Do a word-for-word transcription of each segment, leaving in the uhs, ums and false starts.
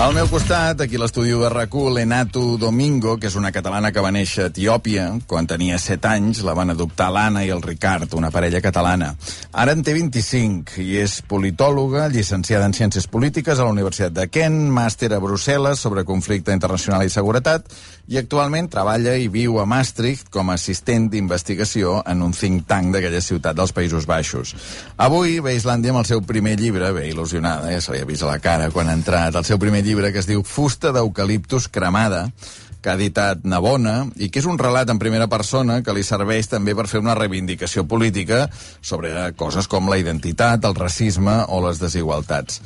Al meu costat, aquí a l'estudi de R A C U, l'Enato Domingo, que és una catalana que va néixer a Etiòpia. Quan tenia set anys la van adoptar l'Anna i el Ricard, una parella catalana. Ara en té vint-i-cinc i és politòloga, llicenciada en Ciències Polítiques a la Universitat de Kent, màster a Brussel·les sobre conflicte internacional i seguretat, i actualment treballa i viu a Maastricht com a assistent d'investigació en un think tank d'aquella ciutat dels Països Baixos. Avui ve a Islàndia amb el seu primer llibre, bé il·lusionada, ja se li ha vist a la cara quan ha entrat, el seu primer llibre que es diu Fusta d'eucaliptus cremada, que ha editat Navona, i que és un relat en primera persona que li serveix també per fer una reivindicació política sobre coses com la identitat, el racisme o les desigualtats.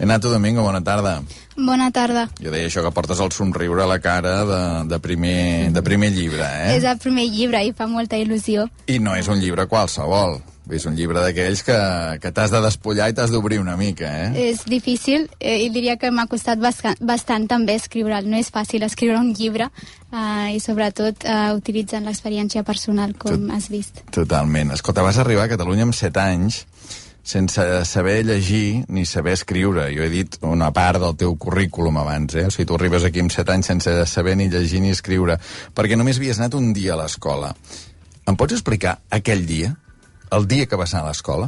Enato Domingo, bona tarda. Bona tarda. Jo deia això, que portes el somriure a la cara de, de, primer, de primer llibre, eh? És el primer llibre i fa molta il·lusió. I no és un llibre qualsevol. És un llibre d'aquells que, que t'has de despullar i t'has d'obrir una mica, eh? És difícil eh, i diria que m'ha costat bastant, bastant també escriure'l. No és fàcil escriure un llibre eh, i sobretot eh, utilitzant l'experiència personal, com Tot, has vist. Totalment. Escolta, vas arribar a Catalunya amb set anys sense saber llegir ni saber escriure. Jo he dit una part del teu currículum abans, eh? O sigui, tu arribes aquí amb set anys sense saber ni llegir ni escriure, perquè només havies anat un dia a l'escola. Em pots explicar aquell dia? El dia que vas anar a l'escola?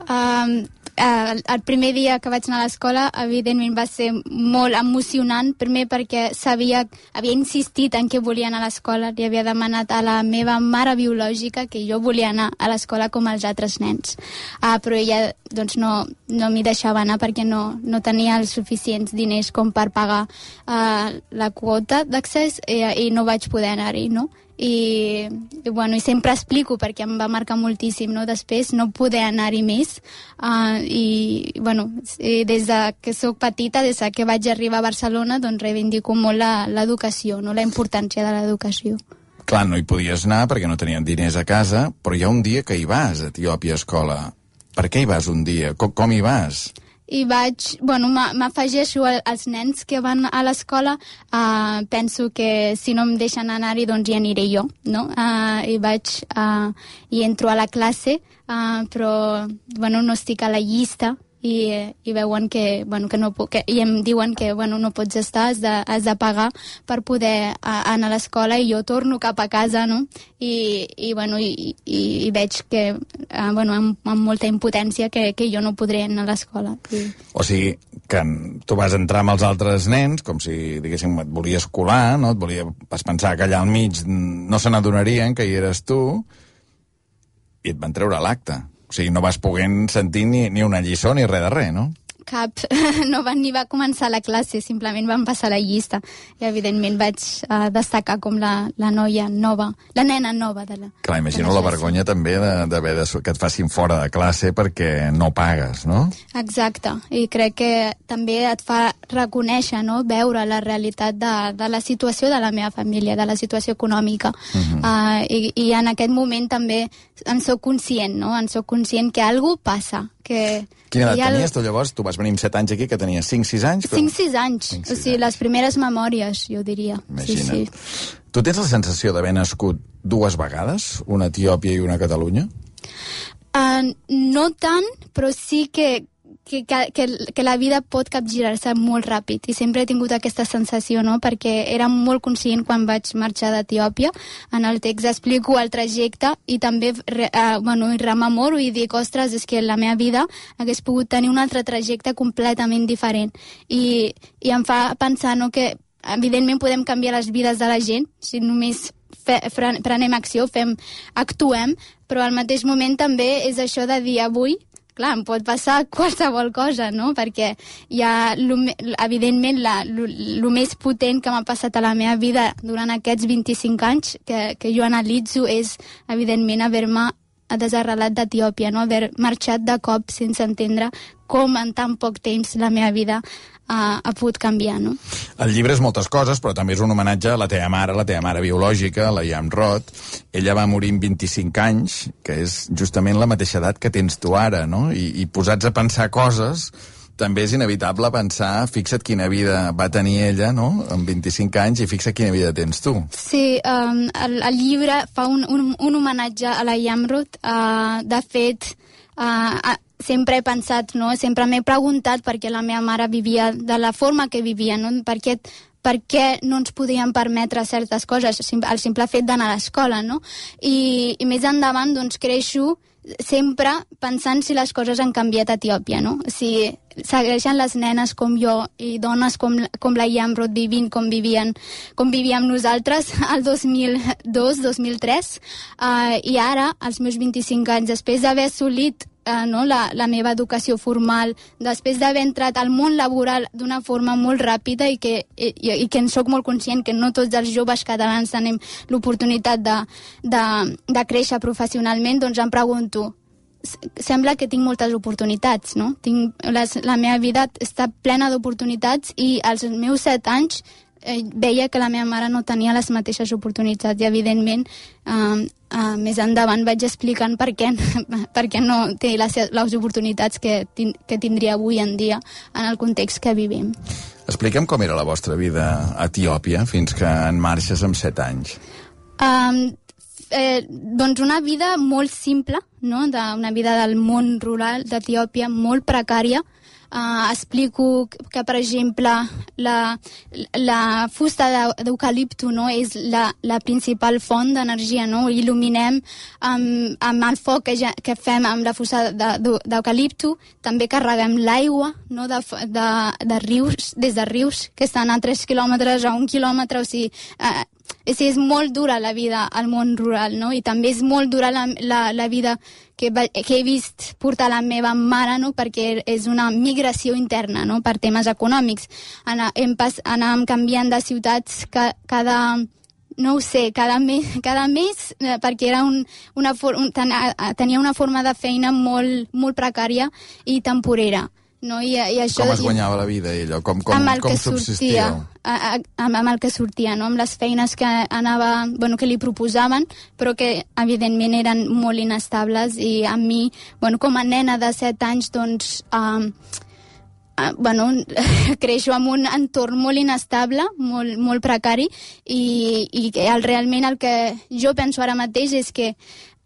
Um, uh, el primer dia que vaig anar a l'escola, evidentment, va ser molt emocionant. Primer perquè sabia, havia insistit en que volia anar a l'escola. Li havia demanat a la meva mare biològica que jo volia anar a l'escola com els altres nens. Uh, però ella doncs, no, no m'hi deixava anar perquè no, no tenia els suficients diners com per pagar uh, la quota d'accés i, i no vaig poder anar-hi, no? I, i, bueno, i sempre explico perquè em va marcar moltíssim, no? Després no poder anar-hi més uh, i, bueno, i des de que sóc petita, des de que vaig arribar a Barcelona, doncs reivindico molt l'educació, no? La importància de l'educació. Clar, no hi podies anar perquè no tenien diners a casa, però hi ha un dia que hi vas a Etiòpia a escola. Per què hi vas un dia? Com, com hi vas? I vaig, bueno, m'afegeixo als nens que van a l'escola. Uh, penso que si no em deixen anar-hi, doncs hi aniré jo, no? Uh, I vaig, uh, i entro a la classe, uh, però, bueno, no estic a la llista, i, i veuen que, bueno, que no puc, que, i em diuen que, bueno, no pots estar, has de, has de pagar per poder uh, anar a l'escola, i jo torno cap a casa, no? I, i bueno, i, i, i veig que, uh, bueno, amb, amb molta impotència, que, que jo no podré anar a l'escola. I... O sigui, que tu vas entrar amb els altres nens, com si, diguéssim, et volies colar, no? Et volia, vas pensar que allà al mig no se n'adonarien que hi eres tu, i et van treure l'acte. O sigui, no vas poder sentir ni, ni una lliçó ni res de res, no? Cap. No van ni va començar la classe, simplement van passar la llista. I, evidentment, vaig uh, destacar com la, la noia nova, la nena nova de la... Clar, imagino la, la vergonya també d'haver de, de, que et facin fora de classe perquè no pagues, no? Exacte. I crec que també et fa reconèixer, no?, veure la realitat de, de la situació de la meva família, de la situació econòmica. Uh-huh. uh, i, I en aquest moment també en soc conscient, no? En soc conscient que alguna cosa passa. Que Quina edat el... tenies tu llavors? Tu vas venir amb set anys aquí, que tenies cinc sis anys? cinc sis anys. cinc, sis o sigui, anys. Les primeres memòries, jo diria. Imagina't. Sí, sí. Tu tens la sensació d'haver nascut dues vegades, una a Etiòpia i una a Catalunya? Uh, no tant, però sí que Que, que, que la vida pot capgirar-se molt ràpid, i sempre he tingut aquesta sensació, no? Perquè era molt conscient quan vaig marxar d'Etiòpia. En el text explico el trajecte i també eh, bueno, rememoro i dic, ostres, és que la meva vida hagués pogut tenir un altre trajecte completament diferent, i, i em fa pensar, no, que evidentment podem canviar les vides de la gent si només fe, fre, prenem acció, fem, actuem, però al mateix moment també és això de dir avui, clar, em pot passar qualsevol cosa, no? Perquè hi ha, evidentment, el més potent que m'ha passat a la meva vida durant aquests vint-i-cinc anys que, que jo analitzo és, evidentment, haver-me desarrelat d'Etiòpia, no? Haver marxat de cop sense entendre com en tan poc temps la meva vida uh, ha pogut canviar, no? El llibre és moltes coses, però també és un homenatge a la teva mare, la teva mare biològica, la Yam Roth. Ella va morir amb vint-i-cinc anys, que és justament la mateixa edat que tens tu ara, no? I, i posats a pensar coses, també és inevitable pensar, fixa't quina vida va tenir ella, no?, amb vint-i-cinc anys, i fixa't quina vida tens tu. Sí, um, el, el llibre fa un, un, un homenatge a la Yam Roth. Uh, de fet, uh, sempre he pensat, no? Sempre m'he preguntat per què la meva mare vivia de la forma que vivia, no? Per què, per què no ens podíem permetre certes coses, el simple fet d'anar a l'escola, no? I, i més endavant, doncs, creixo sempre pensant si les coses han canviat a Etiòpia, no? Si segueixen les nenes com jo i dones com, com la Yamrod vivint com vivien, com vivíem nosaltres al dos mil dos dos mil tres, uh, i ara, als meus vint-i-cinc anys, després d'haver assolit Uh, no, la, la meva educació formal, després d'haver entrat al món laboral d'una forma molt ràpida i que, i, i que en soc molt conscient que no tots els joves catalans tenim l'oportunitat de, de, de créixer professionalment, doncs em pregunto, sembla que tinc moltes oportunitats, no? Tinc, les, la meva vida està plena d'oportunitats i als meus set anys eh, veia que la meva mare no tenia les mateixes oportunitats i evidentment eh, Uh, més endavant vaig explicant per què, per què no té les, les oportunitats que, tin, que tindria avui en dia en el context que vivim. Expliquem com era la vostra vida a Etiòpia fins que en marxes amb set anys. Um, eh, doncs una vida molt simple, no? De, una vida del món rural d'Etiòpia molt precària. Uh, explico que, per exemple, la, la fusta d'eucalipto, no, és la, la principal font d'energia, no? Il·luminem amb, amb el foc que, ja, que fem amb la fusta d'eucalipto, també carreguem l'aigua, no, de, de, de rius, des de rius que estan a tres quilòmetres a un quilòmetre, o sigui, uh, és, és molt dura la vida al món rural, no? I també és molt dura la, la, la vida que, que he vist portar la meva mare, no? Perquè és una migració interna, no? Per temes econòmics. Ana, hem pas, anàvem canviant de ciutats ca, cada... no ho sé, cada mes, cada mes eh, perquè era un, una for, un, ten, tenia una forma de feina molt, molt precària i temporera. No? I, i això, com es guanyava la vida ella? Com, com, amb el com que subsistia? Sortia, a, a, amb, amb el que sortia, no? Amb les feines que anava, bueno, que li proposaven, però que evidentment eren molt inestables i a mi, bueno, com a nena de set anys, doncs, uh, uh, bueno, creixo en un entorn molt inestable, molt, molt precari, i, i el, realment el que jo penso ara mateix és que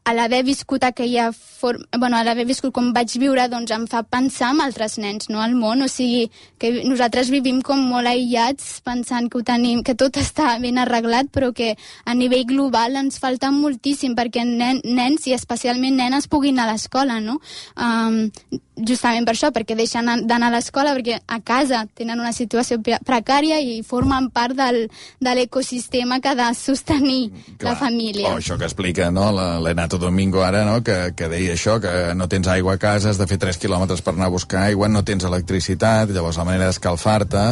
a l'haver viscut aquella forma, bueno, a l'haver viscut com vaig viure, doncs em fa pensar en altres nens, no, al món, o sigui, que nosaltres vivim com molt aïllats, pensant que ho tenim, que tot està ben arreglat, però que a nivell global ens falta moltíssim perquè nen, nens i especialment nenes puguin anar a l'escola, no? Um, justament per això, perquè deixen d'anar a l'escola, perquè a casa tenen una situació precària i formen part del, de l'ecosistema que ha de sostenir Clar. La família. Oh, això que explica, no?, l'Enato Domingo ara, no?, que, que deia això, que no tens aigua a casa, has de fer tres quilòmetres per anar a buscar aigua, no tens electricitat, llavors la manera d'escalfar-te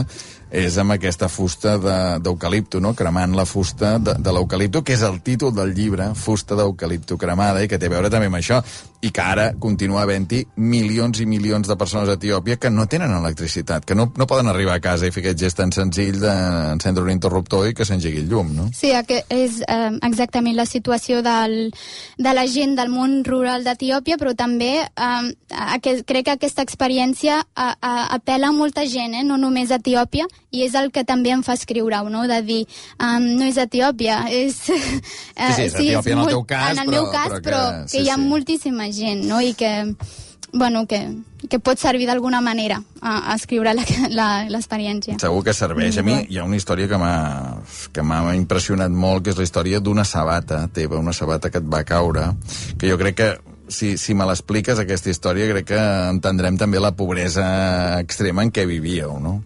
és amb aquesta fusta d'eucalipto, no?, cremant la fusta de, de l'eucalipto, que és el títol del llibre, Fusta d'eucalipto cremada, i que té a veure també amb això, i que ara continua havent-hi milions i milions de persones a Etiòpia que no tenen electricitat, que no, no poden arribar a casa i fer aquest gest tan senzill d'encendre un interruptor i que s'engegui el llum, no? Sí, és eh, exactament la situació del, de la gent del món rural d'Etiòpia, però també eh, aquest, crec que aquesta experiència a, a, apela a molta gent, eh? No només a Etiòpia, i és el que també em fa escriure-ho, no? De dir, um, no és Etiòpia, és... Uh, sí, sí, és sí, Etiòpia és en el teu cas, en el però, meu cas, però, que, però que sí, hi ha sí. moltíssima gent, no? I que, bueno, que, que pot servir d'alguna manera a, a escriure l'experiència. Segur que serveix. A mi hi ha una història que m'ha que m'ha impressionat molt, que és la història d'una sabata teva, una sabata que et va caure, que jo crec que si, si me l'expliques, aquesta història, crec que entendrem també la pobresa extrema en què vivíeu, no?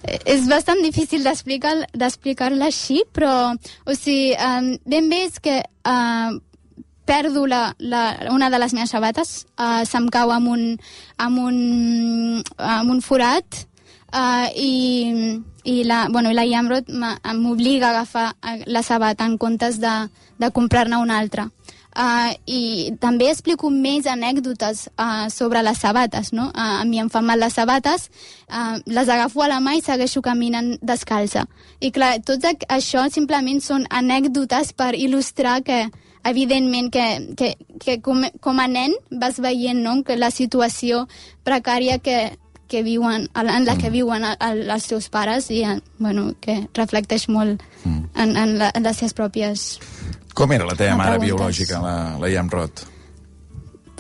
És bastant difícil d'explicar-la d'explicar-la així, però, o sigui, um, ben bé és que uh, perdo la, la, una de les meves sabates, uh, se'm cau amb un, amb un, amb un forat, uh, i, i la, bueno, la Yamrod m'obliga a agafar la sabata en comptes de, de comprar-ne una altra. Uh, i també explico més anècdotes uh, sobre les sabates, no? Uh, a mi em fan mal les sabates, uh, les agafo a la mà i segueixo caminant descalça. I clar, tot això simplement són anècdotes per il·lustrar que, evidentment, que, que, que com, com a nen vas veient, no?, que la situació precària que, que viuen, en la que viuen els teus pares i, bueno, que reflecteix molt en, en, la, en les seves pròpies... Com era la teva mare biològica, la, la Yamrod?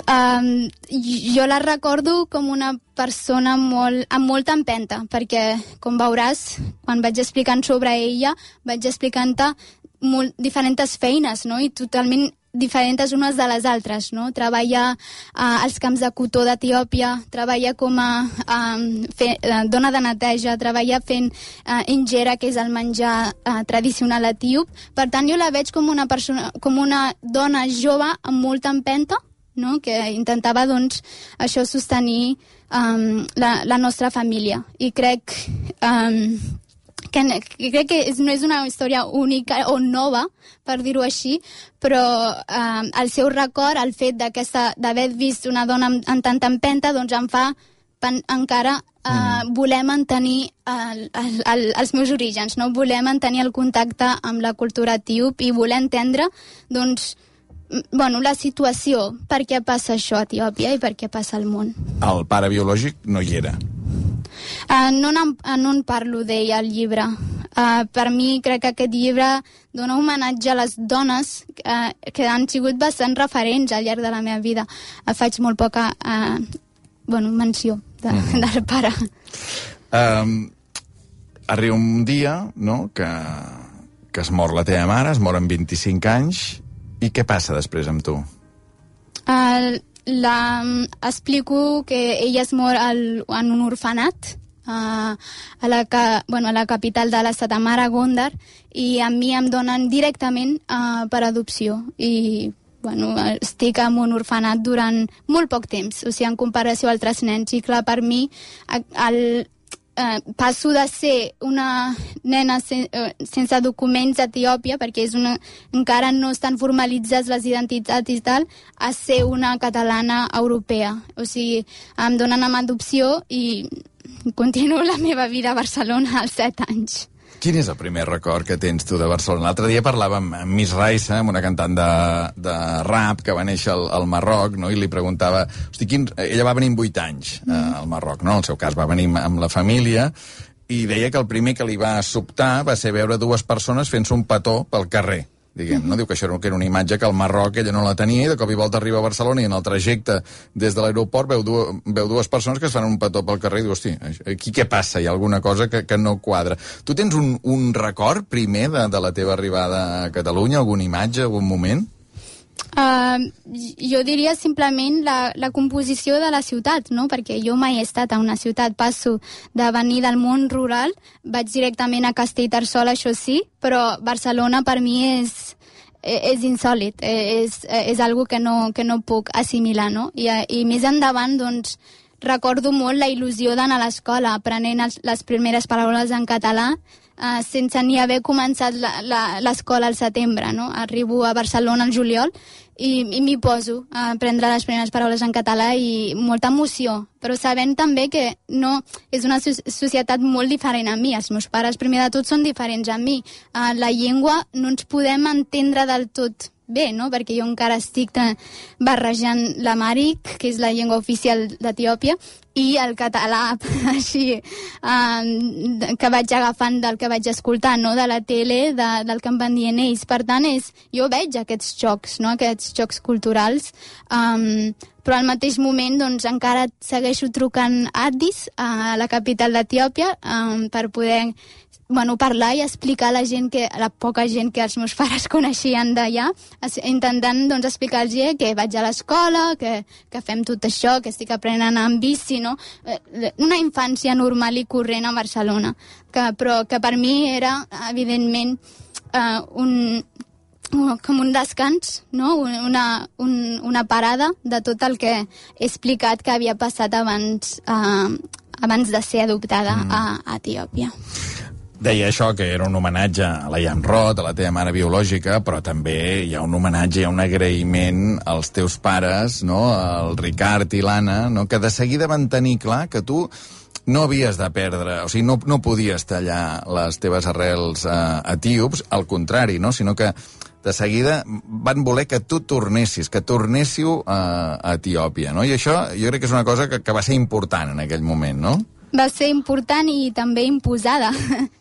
Um, jo la recordo com una persona molt, amb molta empenta, perquè, com veuràs, quan vaig explicant sobre ella, vaig explicant-te molt diferents feines, no? I totalment diferents unes de les altres, no? Treballa uh, als camps de cotó d'Etiòpia, treballa com a um, fe, uh, dona de neteja, treballa fent uh, injera, que és el menjar uh, tradicional etíop. Per tant, jo la veig com una persona, com una dona jove amb molta empenta, no? Que intentava, doncs, això sostenir um, la, la nostra família. I crec... Um, que crec que és, no és una història única o nova, per dir-ho així, però eh, el seu record, el fet d'haver vist una dona amb, amb tanta empenta, doncs em fa pen, encara eh, mm. voler mantenir el, el, el, els meus orígens, no? Voler mantenir el contacte amb la cultura etíop i voler entendre, doncs, bueno, la situació, per què passa això a Etiòpia i per què passa al món. El pare biològic no hi era. Uh, no, no, no en parlo d'ell al llibre. Uh, per mi crec que aquest llibre dona homenatge a les dones uh, que han sigut bastant referents al llarg de la meva vida. Uh, faig molt poca uh, bueno, menció de, mm-hmm. del pare. Um, arriba un dia, no?, que, que es mor la teva mare, es mor amb vint-i-cinc anys, i què passa després amb tu? Uh, la, explico que ella es mor al, en un orfenat uh, a, la, bueno, a la capital de l'estat, a Mara Gondar, i a mi em donen directament uh, per adopció. I bueno, estic en un orfenat durant molt poc temps, o sigui, en comparació a altres nens. I clar, per mi el, eh, passo de ser una nena sen, eh, sense documents a Etiòpia, perquè és una, encara no estan formalitzats les identitats i tal, a ser una catalana europea. O sigui, em donen amb adopció i continuo la meva vida a Barcelona als set anys. Quin és el primer record que tens tu de Barcelona? L'altre dia parlàvem amb Miss Raissa, amb una cantant de, de rap que va néixer al, al Marroc, no? I li preguntava... Hosti, quin... Ella va venir amb vuit anys eh, al Marroc, no? En el seu cas va venir amb la família, i deia que el primer que li va sobtar va ser veure dues persones fent-se un petó pel carrer, diguem, no? Diu que això era una imatge que al Marroc ella no la tenia, i de cop i volta arriba a Barcelona i en el trajecte des de l'aeroport veu, du veu dues persones que es fan un petó pel carrer i diu, hosti, aquí què passa? Hi ha alguna cosa que, que no quadra. Tu tens un, un record primer de, de la teva arribada a Catalunya? Alguna imatge, algun moment? Uh, jo diria simplement la, la composició de la ciutat, no? Perquè jo mai he estat a una ciutat, passo de venir del món rural, vaig directament a Castellterçol, això sí, però Barcelona per mi és, és insòlit, és, és algo que no, que no puc assimilar, no? I, i més endavant, doncs, recordo molt la il·lusió d'anar a l'escola, aprenent els, les primeres paraules en català, Uh, sense ni haver començat l'escola al setembre, no? Arribo a Barcelona al juliol i, i m'hi poso a aprendre les primeres paraules en català i molta emoció, però sabent també que no, és una societat molt diferent a mi. Els meus pares, primer de tot, són diferents a mi. Uh, la llengua no ens podem entendre del tot bé, no? Perquè jo encara estic barrejant l'amhàric, que és la llengua oficial d'Etiòpia, i el català, així, um, que vaig agafant del que vaig escoltar, no? De la tele, de, del que em van dient ells. Per tant, és, jo veig aquests xocs, no? Aquests xocs culturals, um, però al mateix moment doncs, encara segueixo trucant a Addis, a la capital d'Etiòpia, um, per poder bueno, parlar i explicar a la gent, que, a la poca gent que els meus pares coneixien d'allà, intentant doncs, explicar-los que vaig a l'escola, que, que fem tot això, que estic aprenent amb bici, no? Una infància normal i corrent a Barcelona, que, però que per mi era, evidentment, uh, un, com un descans, no? una, un, una parada de tot el que he explicat que havia passat abans, uh, abans de ser adoptada mm. a, a Etiòpia. Deia això, que era un homenatge a la Jan Roth, a la teva mare biològica, però també hi ha un homenatge, hi ha un agraïment als teus pares, no? El Ricard i l'Anna, no? Que de seguida van tenir clar que tu no havies de perdre, o sigui, no, no podies tallar les teves arrels eh, etíops, al contrari, no? Sinó que de seguida van voler que tu tornessis, que tornéssiu a, a Etiòpia, no? I això jo crec que és una cosa que, que va ser important en aquell moment, no? va ser important i també imposada.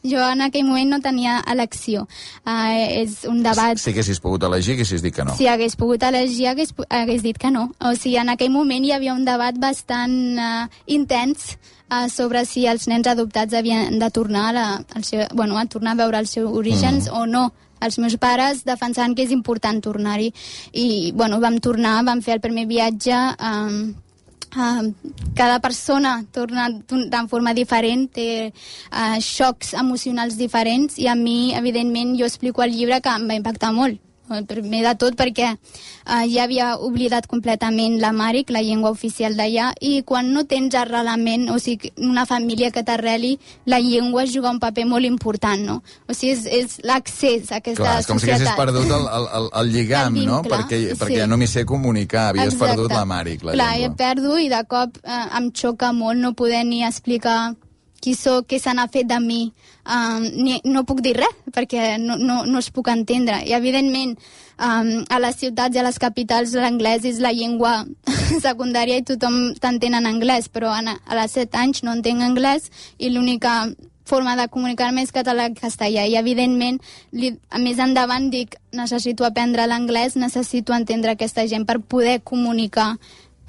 Jo en aquell moment no tenia elecció. Uh, és un debat... Si haguessis pogut elegir, haguessis dit que no. Si hagués pogut elegir, hagués, hagués dit que no. O sigui, en aquell moment hi havia un debat bastant uh, intens uh, sobre si els nens adoptats havien de tornar a, la, al seu, bueno, a tornar a veure els seus orígens mm. o no. Els meus pares defensaven que és important tornar-hi. I, bueno, vam tornar, vam fer el primer viatge... Um, Uh, cada persona torna de forma diferent, té uh, xocs emocionals diferents, i a mi, evidentment, jo explico al llibre que em va impactar molt. Primer de tot perquè uh, ja havia oblidat completament l'amhàric, la llengua oficial d'allà, i quan no tens arrelament, o sigui, una família que t'arreli, la llengua juga un paper molt important, no? O sigui, és, és l'accés a aquesta Clar, societat. és com si haguessis perdut el, el, el, el lligam, el vincle, no? Perquè, sí. perquè no m'hi sé comunicar, havies Exacte. perdut l'amhàric, la Clar, llengua. Clar, perdo i de cop eh, em xoca molt no poder ni explicar qui sóc, què se n'ha fet de mi. Um, ni, no puc dir res, perquè no, no, no es puc entendre. I, evidentment, um, a les ciutats i a les capitals l'anglès és la llengua secundària i tothom t'entén en anglès, però a, a les set anys no entenc anglès i l'única forma de comunicar-me és català i castellà. I, evidentment, li, a més endavant dic, necessito aprendre l'anglès, necessito entendre aquesta gent per poder comunicar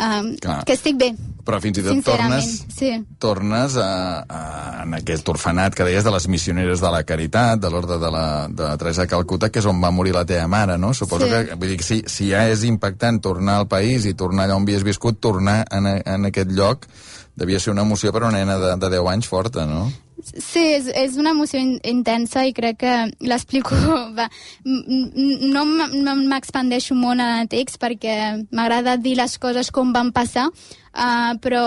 Um, que estic bé. Però fins i tot tornes, sí. tornes a, a, en aquest orfenat que deies de les missioneres de la Caritat, de l'Orde de la de Teresa de Calcuta, que és on va morir la teva mare, no? Suposo sí. que, vull dir, si, si ja és impactant tornar al país i tornar allà on havies viscut, tornar en, en aquest lloc devia ser una emoció per una nena de, de deu anys forta, no? Sí, és, és una emoció in, intensa i crec que l'explico... No m'expandeixo molt en el text perquè m'agrada dir les coses com van passar, uh, però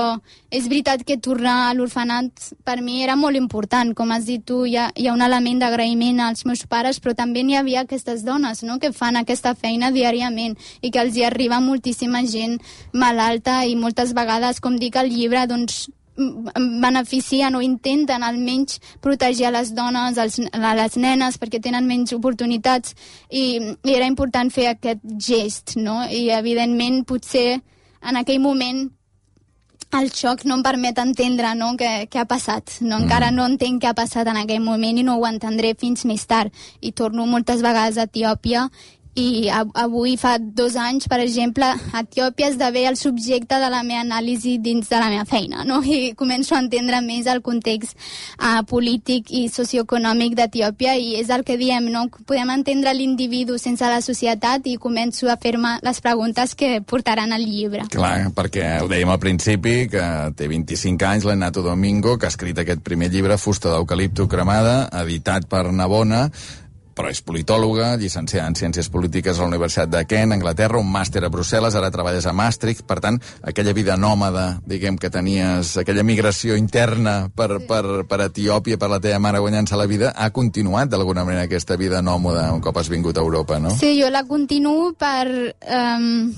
és veritat que tornar a l'orfenat per mi era molt important. Com has dit tu, hi ha, hi ha un element d'agraïment als meus pares, però també n'hi havia aquestes dones, no?, que fan aquesta feina diàriament i que els hi arriba moltíssima gent malalta i moltes vegades, com dic al llibre, doncs beneficien o intenten almenys protegir a les dones, als, a les nenes, perquè tenen menys oportunitats, i, i era important fer aquest gest, no? I evidentment potser en aquell moment el xoc no em permet entendre, no?, què, què ha passat, no? Encara no entenc què ha passat en aquell moment i no ho entendré fins més tard, i torno moltes vegades a Etiòpia. I avui, fa dos anys, per exemple, Etiòpia esdevé el subjecte de la meva anàlisi dins de la meva feina, no? I començo a entendre més el context uh, polític i socioeconòmic d'Etiòpia, i és el que diem, no? Podem entendre l'individu sense la societat, i començo a fer-me les preguntes que portaran al llibre. Clar, perquè ho dèiem al principi, que té vint-i-cinc anys, l'Enato Domingo, que ha escrit aquest primer llibre, Fusta d'eucalipto cremada, editat per Navona, però és politòloga, llicenciada en Ciències Polítiques a la Universitat de Kent, Anglaterra, un màster a Brussel·les, ara treballes a Maastricht, per tant, aquella vida nòmada, diguem, que tenies, aquella migració interna per, sí. per, per Etiòpia, per la teva mare guanyant-se la vida, ha continuat d'alguna manera aquesta vida nòmada un cop has vingut a Europa, no? Sí, jo la continuo per... Um...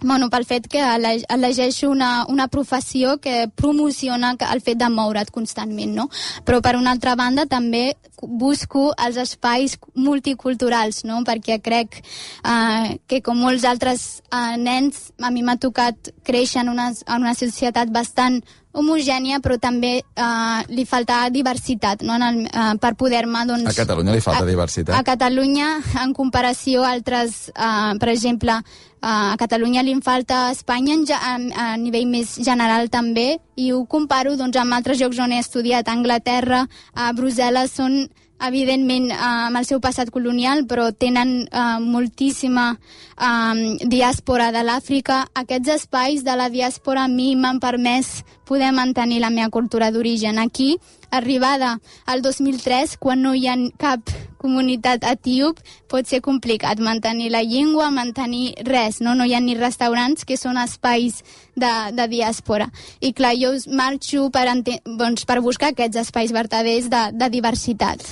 Bueno, pel fet que elegeixo una, una professió que promociona el fet de moure't constantment, no? Però per una altra banda també busco els espais multiculturals, no? Perquè crec eh, que com molts altres eh, nens, a mi m'ha tocat créixer en una, en una societat bastant homogènia, però també eh, li falta diversitat, no? En el, eh, per poder-me, doncs... A Catalunya li falta a, diversitat? A Catalunya, en comparació a altres, eh, per exemple, eh, a Catalunya li falta a Espanya en, a, a nivell més general també, i ho comparo, doncs, amb altres llocs on he estudiat. A Anglaterra, a Brussel·les, són evidentment eh, amb el seu passat colonial, però tenen eh, moltíssima eh, diàspora de l'Àfrica. Aquests espais de la diàspora a mi m'han permès poder mantenir la meva cultura d'origen. Aquí, arribada al dos mil tres, quan no hi ha cap comunitat etíop, pot ser complicat mantenir la llengua, mantenir res, no? No hi ha ni restaurants, que són espais de, de diàspora. I clar, jo marxo per, doncs, per buscar aquests espais vertaders de, de diversitat.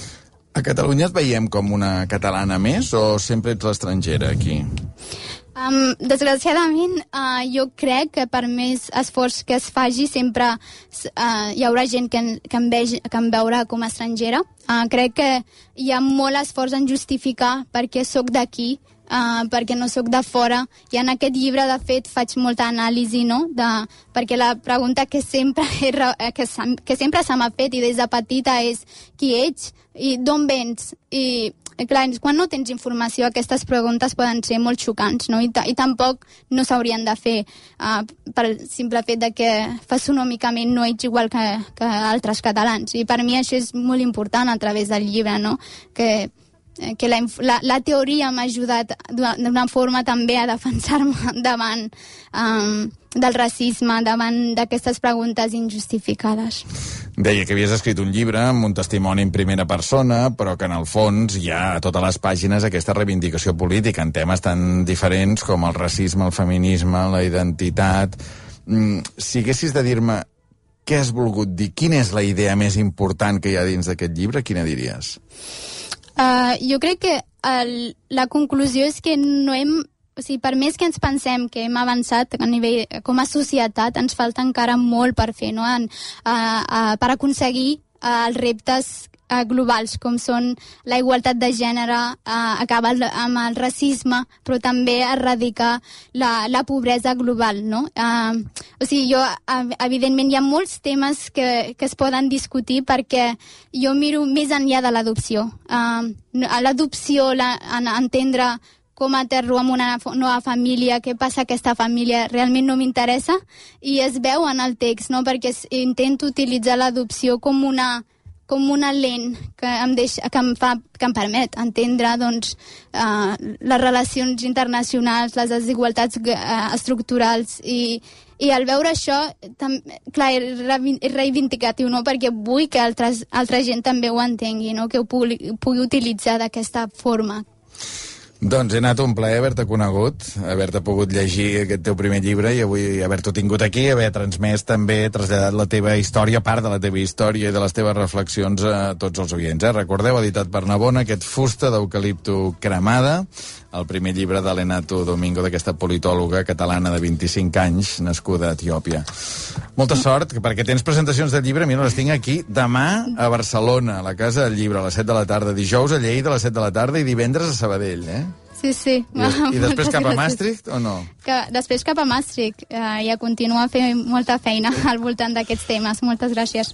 A Catalunya et veiem com una catalana més o sempre ets l'estrangera aquí? Um, desgraciadament, uh, jo crec que per més esforç que es faci sempre uh, hi haurà gent que, que, em vegi, que em veurà com a estrangera. Uh, crec que hi ha molt esforç en justificar perquè sóc d'aquí, uh, perquè no sóc de fora, i en aquest llibre, de fet, faig molta anàlisi, no?, de, perquè la pregunta que sempre, he, que, que sempre se m'ha fet, i des de petita, és qui ets i d'on vens, i clar, quan no tens informació, aquestes preguntes poden ser molt xocants, no? I, i tampoc no s'haurien de fer uh, pel simple fet de que fesonòmicament no ets igual que, que altres catalans. I per mi això és molt important a través del llibre, no? Que, que la, la, la teoria m'ha ajudat d'una forma també a defensar-me davant um, del racisme, davant d'aquestes preguntes injustificades. Deia que havies escrit un llibre amb un testimoni en primera persona, però que en el fons hi ha a totes les pàgines aquesta reivindicació política en temes tan diferents com el racisme, el feminisme, la identitat. Mm, si haguessis de dir-me què has volgut dir, quina és la idea més important que hi ha dins d'aquest llibre, quina diries? Uh, jo crec que el, la conclusió és que no hem... O sigui, per més que ens pensem que hem avançat a nivell, com a societat, ens falta encara molt per fer, no? En, uh, uh, per aconseguir uh, els reptes uh, globals, com són la igualtat de gènere, uh, acabar amb el racisme, però també erradicar la, la pobresa global, no? Uh, o sigui, jo, uh, evidentment, hi ha molts temes que, que es poden discutir, perquè jo miro més enllà de l'adopció. Uh, l'adopció, la, en, entendre com aterro amb una nova família, què passa a aquesta família, realment no m'interessa, i es veu en el text, no? Perquè intento utilitzar l'adopció com una, com una lent que em, deixa, que em, fa, que em permet entendre, doncs, uh, les relacions internacionals, les desigualtats uh, estructurals, i, i al veure això, tam, clar, és reivindicatiu, no? Perquè vull que altres, altra gent també ho entengui, no? Que ho pugui, pugui utilitzar d'aquesta forma. Doncs he anat un plaer haver-te conegut, haver-te pogut llegir aquest teu primer llibre i avui haver-t'ho tingut aquí, haver transmès també, traslladat la teva història, part de la teva història i de les teves reflexions a tots els oients. Eh? Recordeu, editat per Navona, aquest Fusta d'eucalipto cremada, el primer llibre de l'Enato Domingo, d'aquesta politòloga catalana de vint-i-cinc anys, nascuda a Etiòpia. Molta sort, perquè tens presentacions de llibre, mira, les tinc aquí, demà a Barcelona, a la Casa del Llibre, a les set de la tarda, dijous a Lleida a les set de la tarda i divendres a Sabadell, eh? Sí, sí. I, i després cap a Maastricht o no? Que, després cap a Maastricht, eh, i a continuar fent molta feina al voltant d'aquests temes. Moltes gràcies.